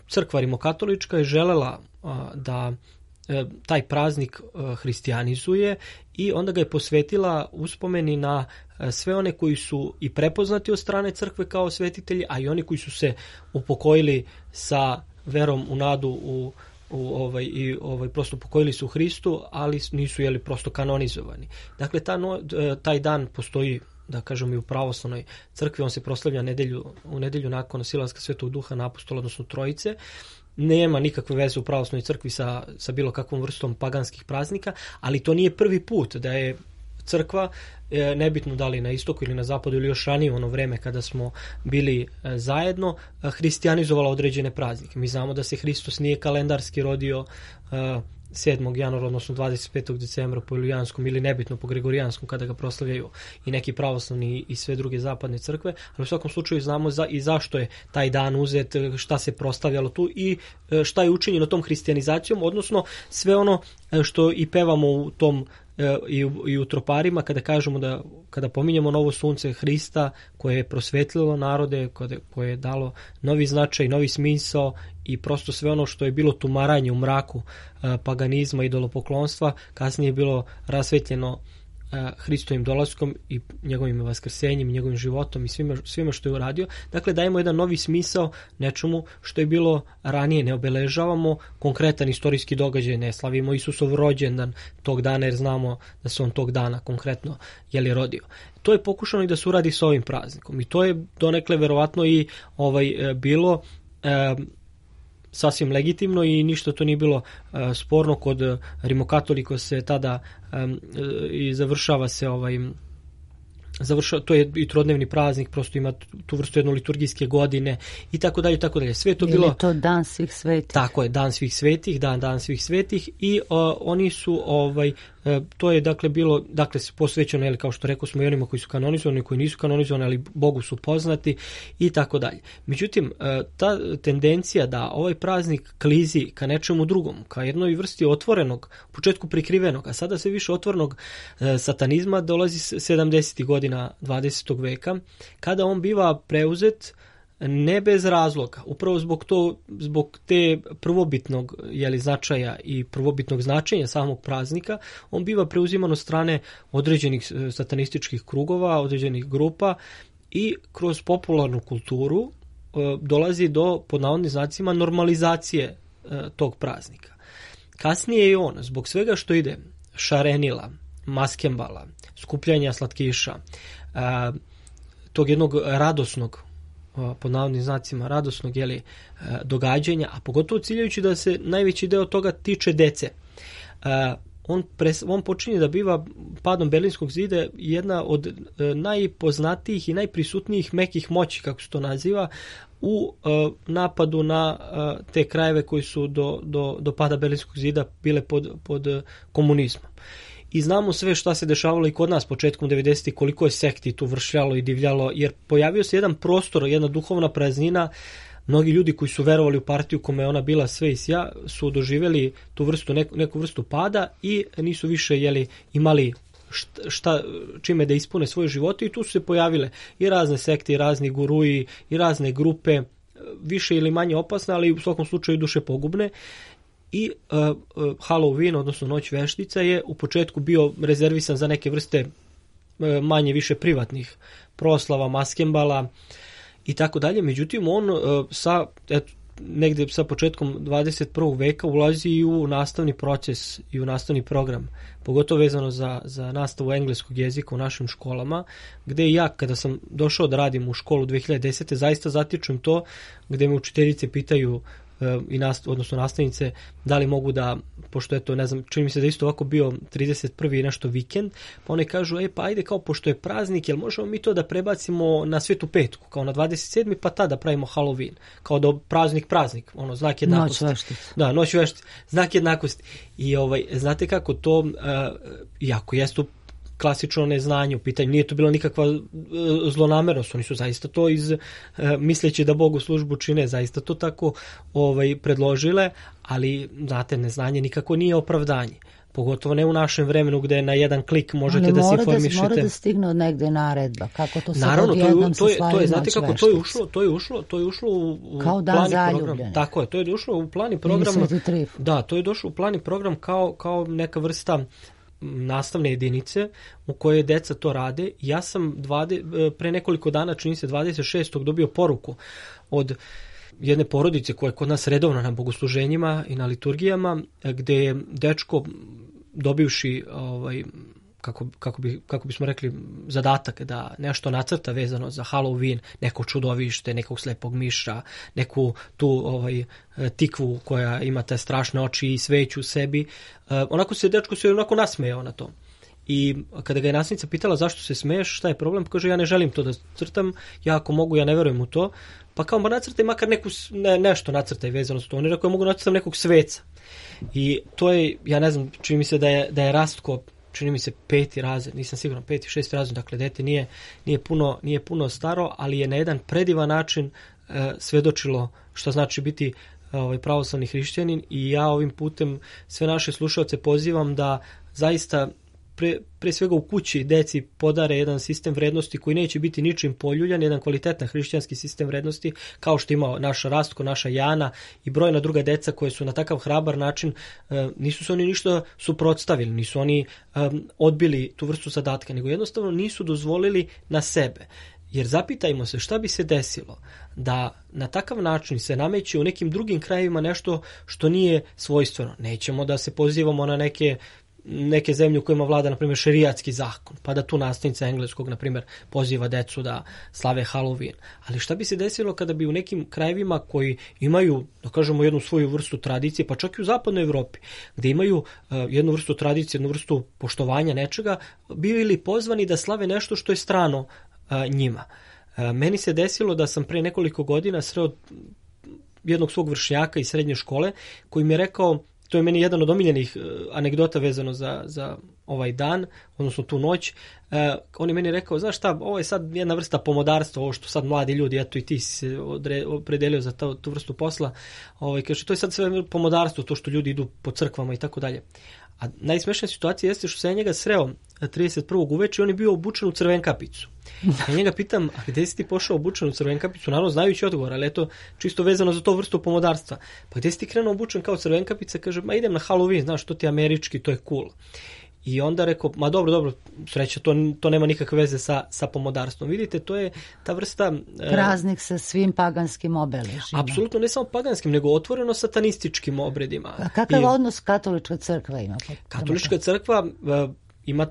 crkva rimokatolička je želela da taj praznik hristijanizuje i onda ga je posvetila uspomeni na sve one koji su i prepoznati od strane crkve kao svetitelji, a i oni koji su se upokojili sa verom u nadu prosto pokojili su u Hristu, ali nisu prosto kanonizovani. Dakle, taj dan postoji, da kažem, i u pravoslavnoj crkvi. On se proslavlja u nedelju nakon silaska Svetog Duha na apostola, odnosno Trojice. Nema nikakve veze u pravoslavnoj crkvi sa bilo kakvom vrstom paganskih praznika, ali to nije prvi put da je crkva, nebitno da li na istoku ili na zapadu ili još ranije, ono vreme kada smo bili zajedno, hristijanizovala određene praznike. Mi znamo da se Hristos nije kalendarski rodio 7. januara, odnosno 25. decembra po Julijanskom ili nebitno po Gregorijanskom kada ga proslavljaju i neki pravoslavni i sve druge zapadne crkve, ali u svakom slučaju znamo i zašto je taj dan uzet, šta se proslavljalo tu i šta je učinjeno tom hristijanizacijom, odnosno sve ono što i pevamo u tom i u troparima kada kažemo kada pominjemo novo sunce Hrista koje je prosvetlilo narode, koje je dalo novi značaj, novi smisao i prosto sve ono što je bilo tumaranje u mraku paganizma i idolopoklonstva, kasnije je bilo rasvetljeno Hristovim dolaskom i njegovim vaskrsenjem, njegovim životom i svime što je uradio. Dakle, dajemo jedan novi smisao nečemu što je bilo ranije. Ne obeležavamo konkretan istorijski događaj, ne slavimo Isusov rođendan tog dana jer znamo da se on tog dana konkretno rodio. To je pokušano i da se uradi s ovim praznikom i to je donekle verovatno i bilo sasvim legitimno i ništa to nije bilo sporno. Kod rimokatoliko se tada i završava se to je i trodnevni praznik, prosto ima tu vrstu jedno liturgijske godine i tako dalje, tako dalje. Sve to bilo... Je to Dan svih svetih? Tako je, Dan svih svetih, Dan svih svetih i oni su, to je dakle bilo, dakle posvećeno, jel, kao što rekao smo, i onima koji su kanonizovani, koji nisu kanonizovani, ali Bogu su poznati i tako dalje. Međutim, ta tendencija da ovaj praznik klizi ka nečemu drugom, ka jednoj vrsti otvorenog, u početku prikrivenog, a sada sve više otvorenog satanizma, dolazi 70. godina 20. veka, kada on biva preuzet ne bez razloga, upravo zbog te prvobitnog značaja i prvobitnog značenja samog praznika, on biva preuziman od strane određenih satanističkih krugova, određenih grupa i kroz popularnu kulturu dolazi do, pod navodnim znacima, normalizacije tog praznika. Kasnije je on, zbog svega što ide, šarenila, maskembala, skupljanja slatkiša, tog jednog radosnog, pod navodnim znacima, radosnog događanja, a pogotovo ciljajući da se najveći deo toga tiče dece. On počinje da biva padom Berlinskog zida jedna od najpoznatijih i najprisutnijih mekih moći, kako se to naziva, u napadu na te krajeve koji su do pada Berlinskog zida bile pod komunizmom. I znamo sve šta se dešavalo i kod nas početkom 90. koliko je sekti tu vršljalo i divljalo, jer pojavio se jedan prostor, jedna duhovna praznina. Mnogi ljudi koji su verovali u partiju kome je ona bila sve i sja su doživjeli tu vrstu, neku vrstu pada i nisu više imali čime da ispune svoje živote, i tu su se pojavile i razne sekte, i razni guruji, i razne grupe, više ili manje opasne, ali u svakom slučaju duše pogubne. I Halloween, odnosno Noć veštica, je u početku bio rezervisan za neke vrste manje više privatnih proslava, maskembala i tako dalje. Međutim, on negde sa početkom 21. veka ulazi i u nastavni proces i u nastavni program, pogotovo vezano za nastavu engleskog jezika u našim školama, gde ja, kada sam došao da radim u školu 2010. zaista zatičem to, gde me učiteljice pitaju, odnosno nastavnice, da li mogu da, pošto je to, ne znam, čini mi se da isto ovako bio 31. i nešto vikend, pa one kažu, pa ajde, kao pošto je praznik, jel možemo mi to da prebacimo na Svetu petku, kao na 27. pa tada pravimo Halloween, kao da praznik, ono, znak jednakosti. Noć veštica. Da, Noć veštica, znak jednakosti. I znate kako to, jako jeste klasično neznanje u pitanju, nije to bila nikakva zlonamernost, oni su zaista to misleći da Bogu službu čine, zaista to tako predložile, ali znate, neznanje nikako nije opravdanje, pogotovo ne u našem vremenu gde na jedan klik možete da se informišete. Ali mora da stigne od negde naredba, kako to sad naravno, odjednom se slavi znate kako, to je ušlo u kao dan zaljubljenih. Tako je, to je ušlo u plan i program. Da, to je došlo u plan i program kao neka vrsta nastavne jedinice u kojoj deca to rade. Ja sam pre nekoliko dana, čini se 26. dobio poruku od jedne porodice koja je kod nas redovna na bogosluženjima i na liturgijama, gde je dečko dobivši kako bismo rekli zadatak da nešto nacrta vezano za Halloween, neko čudovište, nekog slepog miša, neku tu tikvu koja ima te strašne oči i sveću u sebi. Dečko se onako nasmejao na to. I kada ga je nastavnica pitala zašto se smeješ, šta je problem, kaže ja ne želim to da crtam, ja ako mogu, ja ne verujem u to, pa kao nacrtaj makar nešto nacrtaj vezano za to. On je rekao ja mogu nacrtam nekog sveca. I to je, ja ne znam, čini mi se da je Rastko, čini mi se 5. razred, nisam siguran, 5. 6. razred, dakle dete nije puno staro, ali je na jedan predivan način svedočilo što znači biti pravoslavni hrišćanin, i ja ovim putem sve naše slušaoce pozivam da zaista pre svega u kući deci podare jedan sistem vrednosti koji neće biti ničim poljuljan, jedan kvalitetan hrišćanski sistem vrednosti, kao što ima naša Rastko, naša Jana i brojna druga deca koje su na takav hrabar način, nisu se oni ništa suprotstavili, nisu oni odbili tu vrstu zadatka, nego jednostavno nisu dozvolili na sebe. Jer zapitajmo se šta bi se desilo da na takav način se nameće u nekim drugim krajevima nešto što nije svojstveno. Nećemo da se pozivamo na neke neke zemlje u kojima vlada, na primjer, šerijatski zakon, pa da tu nastavnica engleskog, na primjer, poziva decu da slave Halloween. Ali šta bi se desilo kada bi u nekim krajevima koji imaju, da kažemo, jednu svoju vrstu tradicije, pa čak i u zapadnoj Evropi, gde imaju jednu vrstu tradicije, jednu vrstu poštovanja nečega, bili pozvani da slave nešto što je strano njima. Meni se desilo da sam pre nekoliko godina sreo jednog svog vršnjaka iz srednje škole koji mi je rekao, to je meni jedan od omiljenih anegdota vezano za ovaj dan, odnosno tu noć. On je meni rekao, znaš šta, ovo je sad jedna vrsta pomodarstva, ovo što sad mladi ljudi, eto i ti si se opredelio za tu vrstu posla, kaže, to je sad sve pomodarstvo, to što ljudi idu po crkvama i tako dalje. A najsmešnija situacija jeste što sam ja njega sreo 31. uveče i on je bio obučen u crvenkapicu. Ja njega pitam, a gde si ti pošao obučen u crvenkapicu? Naravno, znajući odgovor, ali eto, čisto vezano za to vrstu pomodarstva. Pa gde si ti krenuo obučen kao crvenkapica? Kaže, ma idem na Halloween, znaš, to ti je američki, to je cool. I onda rekao, ma dobro, sreća, to nema nikakve veze sa pomodarstvom. Vidite, to je ta vrsta... Praznik sa svim paganskim obeležima. Apsolutno, ne samo paganskim, nego otvoreno satanističkim obredima. A kakav odnos katolička crkva ima? Katolička crkva ima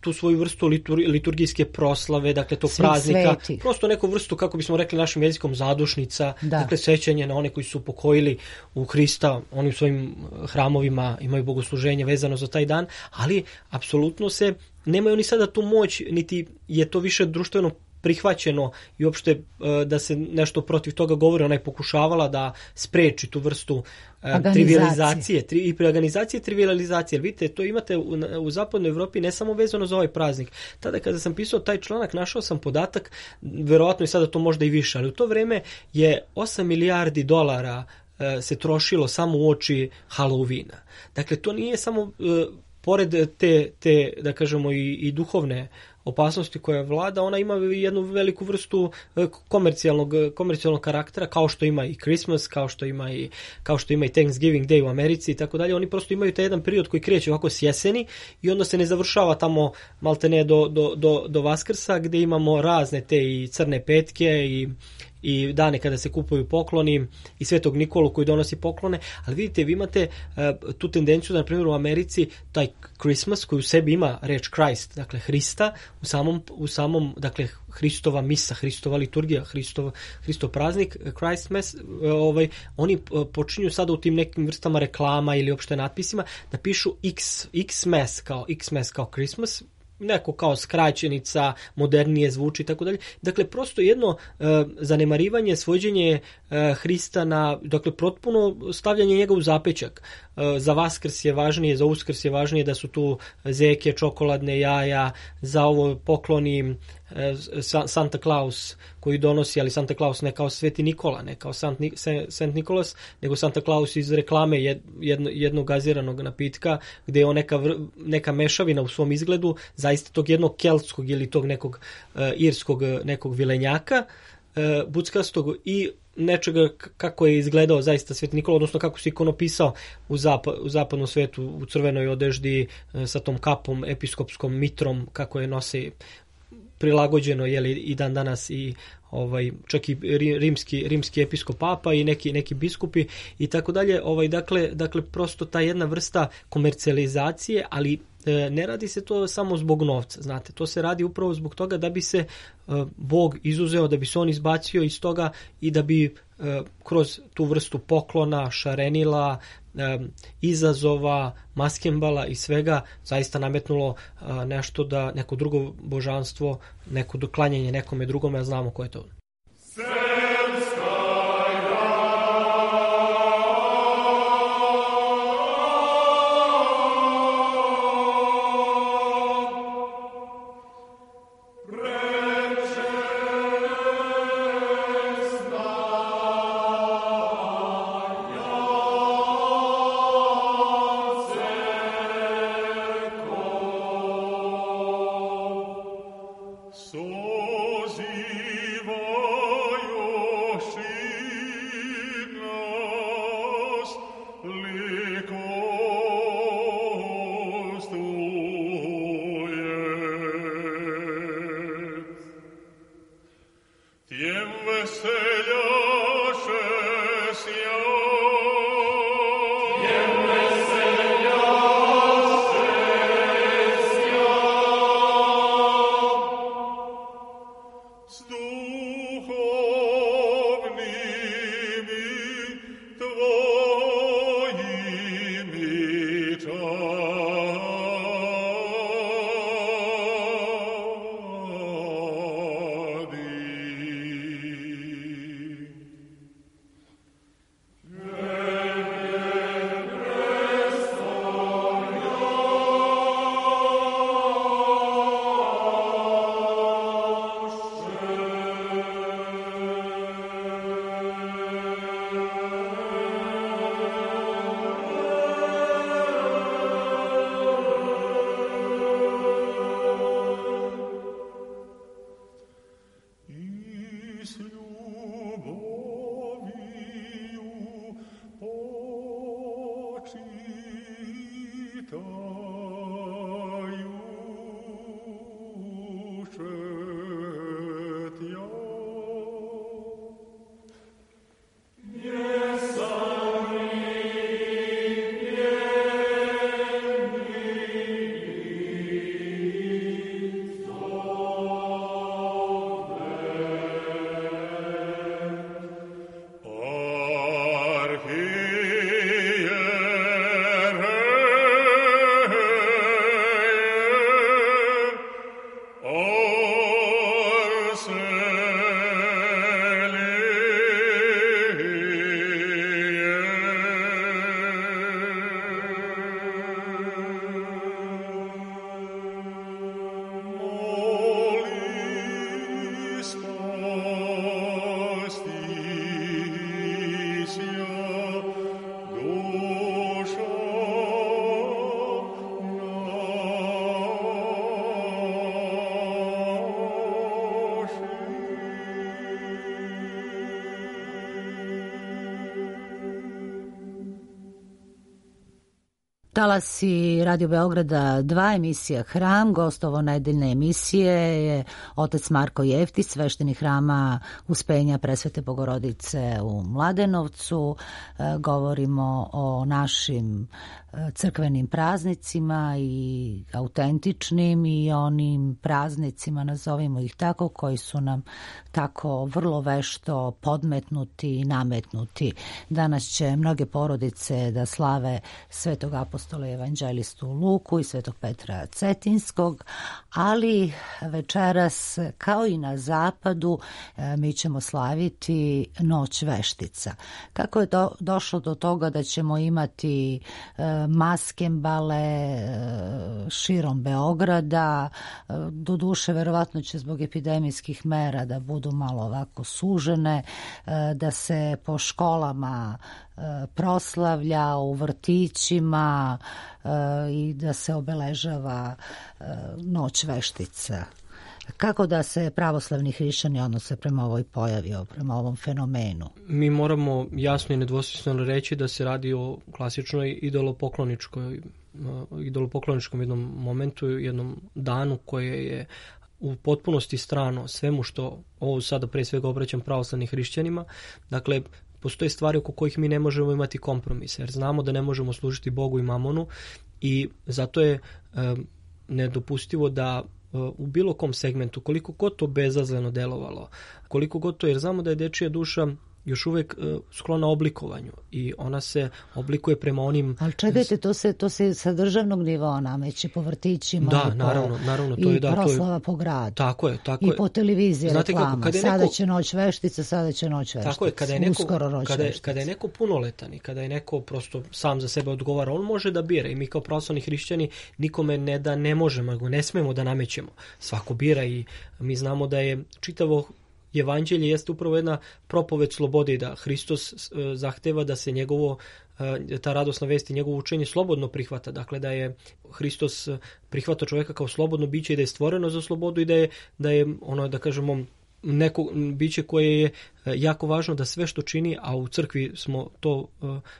tu svoju vrstu liturgijske proslave, dakle tog praznika, svetih. Prosto neku vrstu, kako bismo rekli našim jezikom, zadušnica, dakle sećanje na one koji su pokojili u Hrista, oni u svojim hramovima imaju bogosluženje vezano za taj dan, ali apsolutno nemaju oni sada tu moć, niti je to više društveno prihvaćeno i uopšte da se nešto protiv toga govori. Ona je pokušavala da spreči tu vrstu trivializacije i preorganizacije i trivializacije. Vidite, to imate u zapadnoj Evropi ne samo vezano za ovaj praznik. Tada kada sam pisao taj članak, našao sam podatak, verovatno i sada to možda i više, ali u to vreme je 8 milijardi dolara se trošilo samo u oči Halloweena. Dakle, to nije samo pored te da kažemo i duhovne opasnosti koja vlada, ona ima jednu veliku vrstu komercijalnog karaktera, kao što ima i Christmas, kao što ima i Thanksgiving Day u Americi i tako dalje. Oni prosto imaju taj jedan period koji kreće ovako s jeseni i onda se ne završava tamo maltene do Vaskrsa, gde imamo razne te i crne petke i dane kada se kupuju pokloni i Svetog Nikolu koji donosi poklone, ali vidite, vi imate tu tendenciju da, na primjer, u Americi taj Christmas koji u sebi ima reč Christ, dakle Hrista, u samom dakle Hristova misa, Hristova liturgija, Hristov praznik, Christ Mass, oni počinju sada u tim nekim vrstama reklama ili opšte natpisima da pišu X-Mass kao Christmas, neko kao skraćenica, modernije zvuči i tako dalje. Dakle, prosto jedno zanemarivanje, svođenje Hrista na, dakle, potpuno stavljanje njega u zapećak. Za Vaskrs je važnije, za Uskrs je važnije da su tu zeke, čokoladne jaja, za ovo pokloni Santa Claus koji donosi, ali Santa Claus ne kao Sveti Nikola, ne kao Saint Nicholas, nego Santa Claus iz reklame jednog gaziranog napitka, gde je on neka mešavina u svom izgledu zaista tog jednog keltskog ili tog nekog irskog nekog vilenjaka buckastog i nečega kako je izgledao zaista Sveti Nikola, odnosno kako se ikonopisao u zapadnom svetu u crvenoj odeždi sa tom kapom, episkopskom mitrom, kako je nosi prilagođeno i dan danas i čak i rimski episkop papa i neki biskupi i tako dalje. Dakle, prosto ta jedna vrsta komercijalizacije, ali ne radi se to samo zbog novca, znate, to se radi upravo zbog toga da bi se Bog izuzeo, da bi se on izbacio iz toga i da bi kroz tu vrstu poklona, šarenila, izazova, maskembala i svega zaista nametnulo nešto da neko drugo božanstvo, neko doklanjanje nekome drugome, a znamo ko je to. So sie Talasi Radio Beograda 2, emisija Hram. Gost ovo nedeljne emisije je otac Marko Jeftić, sveštenik Hrama Uspenja Presvete Bogorodice u Mladenovcu. Govorimo o našim crkvenim praznicima i autentičnim i onim praznicima, nazovimo ih tako, koji su nam tako vrlo vešto podmetnuti i nametnuti. Danas će mnoge porodice da slave Svetog apostola i evanđelistu Luku i Svetog Petra Cetinskog, ali večeras, kao i na zapadu, mi ćemo slaviti Noć veštica. Kako je došlo do toga da ćemo imati maskembale širom Beograda? Doduše, verovatno će zbog epidemijskih mera da budu malo ovako sužene, da se po školama proslavlja, u vrtićima i da se obeležava Noć veštica. Kako da se pravoslavni hrišćani odnose prema ovoj pojavi, prema ovom fenomenu? Mi moramo jasno i nedvosmisleno reći da se radi o klasičnoj idolopokloničkom jednom momentu, jednom danu koje je u potpunosti strano svemu što, ovo sada pre svega obraćam pravoslavnim hrišćanima. Dakle, postoje stvari oko kojih mi ne možemo imati kompromise, jer znamo da ne možemo služiti Bogu i mamonu i zato je nedopustivo da u bilo kom segmentu, koliko god to bezazleno delovalo, koliko god to, jer znamo da je dečija duša još uvek sklona oblikovanju i ona se oblikuje prema onim... Ali čekajte, to se sa državnog nivoa nameće po vrtićima i proslava po gradu. Tako je. I po televiziji reklama. Sada će Noć veštica, sada će Noć veštica. Tako je, kada je neko punoletan i kada je neko prosto sam za sebe odgovara, on može da bira i mi kao pravoslavni hrišćani nikome ne možemo, ne smemo da namećemo. Svako bira i mi znamo da je čitavo Evanđelje jeste upravo jedna propoved slobode i da Hristos zahteva da se ta radosna vest i njegovo učenje slobodno prihvata. Dakle, da je Hristos prihvata čovjeka kao slobodno biće i da je stvoreno za slobodu i da je ono, da kažemo, neko biće koje je jako važno da sve što čini, a u crkvi smo to,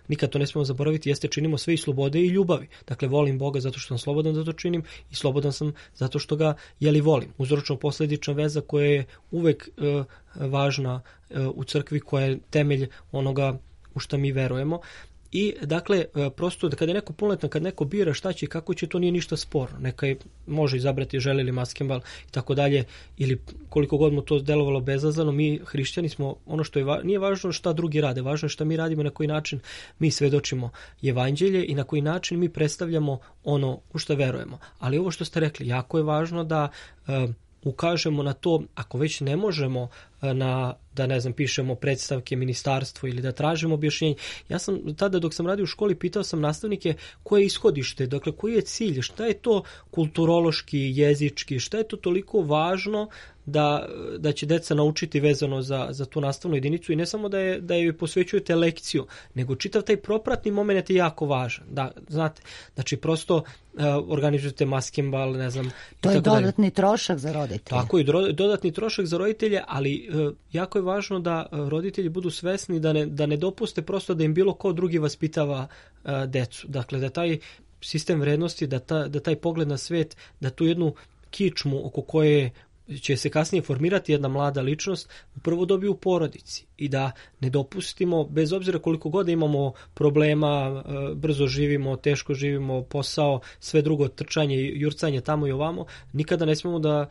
nikad to ne smemo zaboraviti, jeste činimo sve iz slobode i ljubavi. Dakle, volim Boga zato što sam slobodan da to činim i slobodan sam zato što ga volim. Uzročno-posledična veza koja je uvek važna u crkvi, koja je temelj onoga u šta mi verujemo. I dakle, prosto kada je neko punoletan, kad neko bira šta će i kako će, to nije ništa sporno. Neka može izabrati želi li maskembal i tako dalje, ili koliko god mu to delovalo bezazleno, mi hrišćani smo, ono što nije važno šta drugi rade, važno je šta mi radimo, na koji način mi svedočimo evanđelje i na koji način mi predstavljamo ono u šta verujemo. Ali ovo što ste rekli, jako je važno da ukažemo na to, ako već ne možemo pišemo predstavke ministarstvu ili da tražimo objašnjenje. Ja sam tada, dok sam radio u školi, pitao sam nastavnike koje je ishodište, dakle koji je cilj, šta je to kulturološki, jezički, šta je to toliko važno da će deca naučiti vezano za tu nastavnu jedinicu i ne samo da joj posvećujete lekciju, nego čitav taj propratni moment je jako važan. Da, znate, znači prosto organizujete maskembal, ne znam. To je dodatni trošak za roditelje. Tako, i dodatni trošak za roditelje, ali jako je važno da roditelji budu svesni da ne dopuste prosto da im bilo ko drugi vaspitava decu. Dakle, da taj sistem vrednosti, da taj pogled na svet, da tu jednu kičmu oko koje će se kasnije formirati jedna mlada ličnost, prvo dobiju u porodici i da ne dopustimo, bez obzira koliko god imamo problema, brzo živimo, teško živimo, posao, sve drugo, trčanje, jurcanje tamo i ovamo, nikada ne smemo da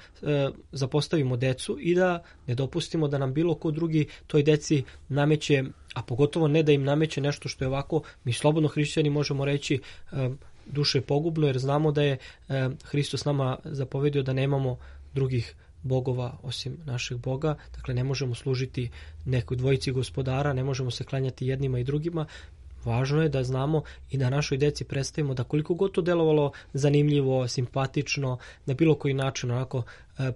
zapostavimo decu i da ne dopustimo da nam bilo ko drugi toj deci nameće, a pogotovo ne da im nameće nešto što je ovako, mi slobodno hrišćani možemo reći, duše pogubno, jer znamo da je Hristos nama zapovedio da nemamo drugih bogova osim našeg Boga, dakle ne možemo služiti nekoj dvojici gospodara, ne možemo se klanjati jednima i drugima. Važno je da znamo i da našoj deci predstavimo da koliko god to delovalo zanimljivo, simpatično, na bilo koji način onako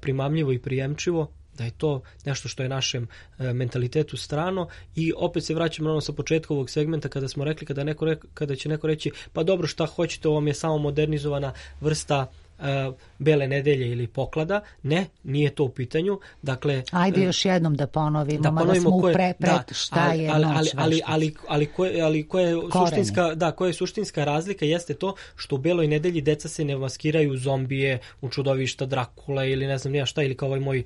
primamljivo i prijemčivo, da je to nešto što je našem mentalitetu strano. I opet se vraćamo ono sa početka ovog segmenta kada smo rekli, kada će neko reći pa dobro, šta hoćete, ovo mi je samo modernizovana vrsta Bele nedelje ili poklada. Ne, nije to u pitanju. Dakle, ajde još jednom da ponovimo, mada smo šta je noć. Ali koja je suštinska razlika jeste to što u Beloj nedelji deca se ne maskiraju zombije, u čudovišta, Drakule ili ne znam nija šta, ili kao ovaj moj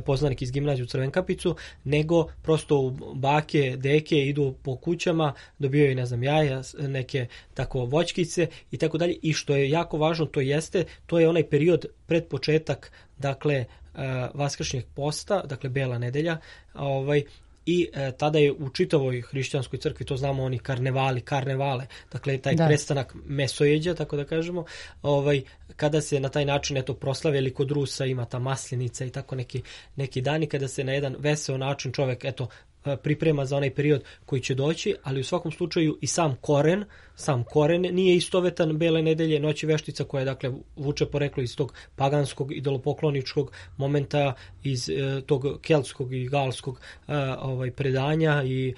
poznanik iz gimnazije u Crvenkapicu, nego prosto bake, deke idu po kućama, dobijaju ne znam jaja, neke tako voćkice i tako dalje. I što je jako važno, to je onaj period pred početak, dakle, vaskršnjeg posta, dakle Bela nedelja, i tada je u čitavoj hrišćanskoj crkvi, to znamo oni karnevale, dakle taj prestanak mesojeđa, tako da kažemo, kada se na taj način proslave, ili kod Rusa ima ta maslenica i tako neki dani kada se na jedan veseo način čovek priprema za onaj period koji će doći, ali u svakom slučaju i sam koren nije istovetan Bele nedelje, Noći veštica, koja dakle vuče poreklo iz tog paganskog idolopokloničkog momenta, iz tog keltskog i galskog predanja i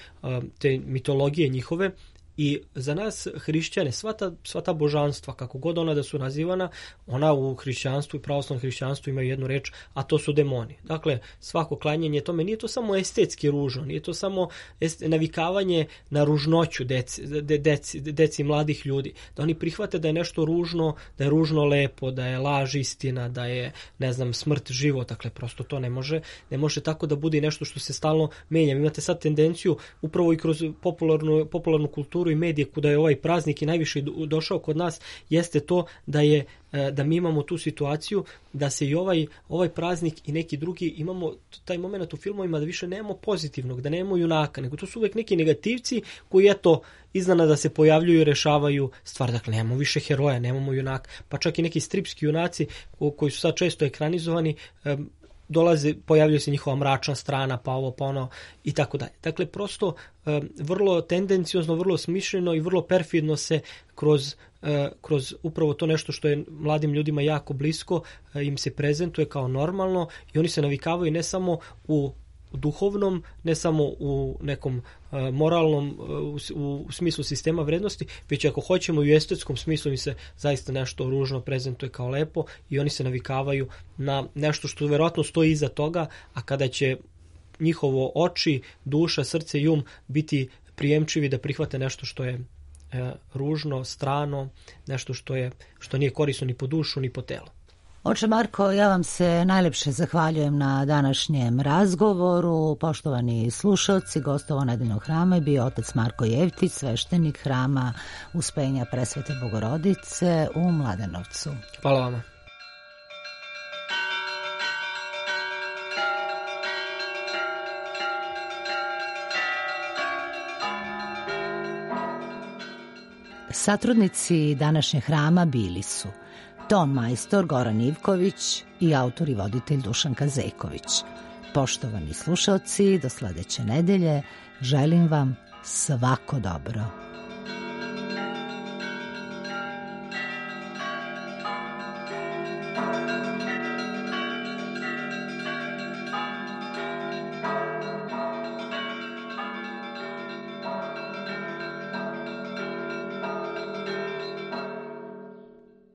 te mitologije njihove. I za nas hrišćane, sva ta božanstva, kako god ona da su nazivana, ona u hrišćanstvu i pravoslavnom hrišćanstvu imaju jednu reč, a to su demoni. Dakle, svako klanjanje tome, nije to samo estetski ružno, nije to samo navikavanje na ružnoću deci mladih ljudi. Da oni prihvate da je nešto ružno, da je ružno lepo, da je laž istina, da je, ne znam, smrt život. Dakle, prosto to ne može tako da bude nešto što se stalno menja. Imate sad tendenciju, upravo i kroz popularnu kulturu i medije, kuda je ovaj praznik i najviše došao kod nas, jeste to da mi imamo tu situaciju da se i ovaj praznik i neki drugi, imamo taj moment u filmovima da više nemamo pozitivnog, da nemamo junaka, nego to su uvek neki negativci koji iznenada se pojavljuju i rešavaju stvar. Dakle, nemamo više heroja, nemamo junaka, pa čak i neki stripski junaci koji su sad često ekranizovani, pojavljuje se njihova mračna strana, pa ovo, pa ono i tako dalje. Dakle, prosto vrlo tendenciozno, vrlo smišljeno i vrlo perfidno se kroz upravo to nešto što je mladim ljudima jako blisko, im se prezentuje kao normalno i oni se navikavaju ne samo u duhovnom, ne samo u nekom moralnom u smislu sistema vrednosti, već ako hoćemo i u estetskom smislu im se zaista nešto ružno prezentuje kao lepo i oni se navikavaju na nešto što verovatno stoji iza toga, a kada će njihovo oči, duša, srce i biti prijemčivi da prihvate nešto što je ružno, strano, nešto što nije korisno ni po dušu ni po telo. Oče Marko, ja vam se najlepše zahvaljujem na današnjem razgovoru. Poštovani slušalci, gostovao nedeljnog hrama je bio otac Marko Jevtić, sveštenik hrama Uspenja Presvete Bogorodice u Mladenovcu. Hvala vama. Satrudnici današnjeg hrama bili su ton majstor Goran Ivković i autor i voditelj Dušan Kazeković. Poštovani slušalci, do sledeće nedelje želim vam svako dobro.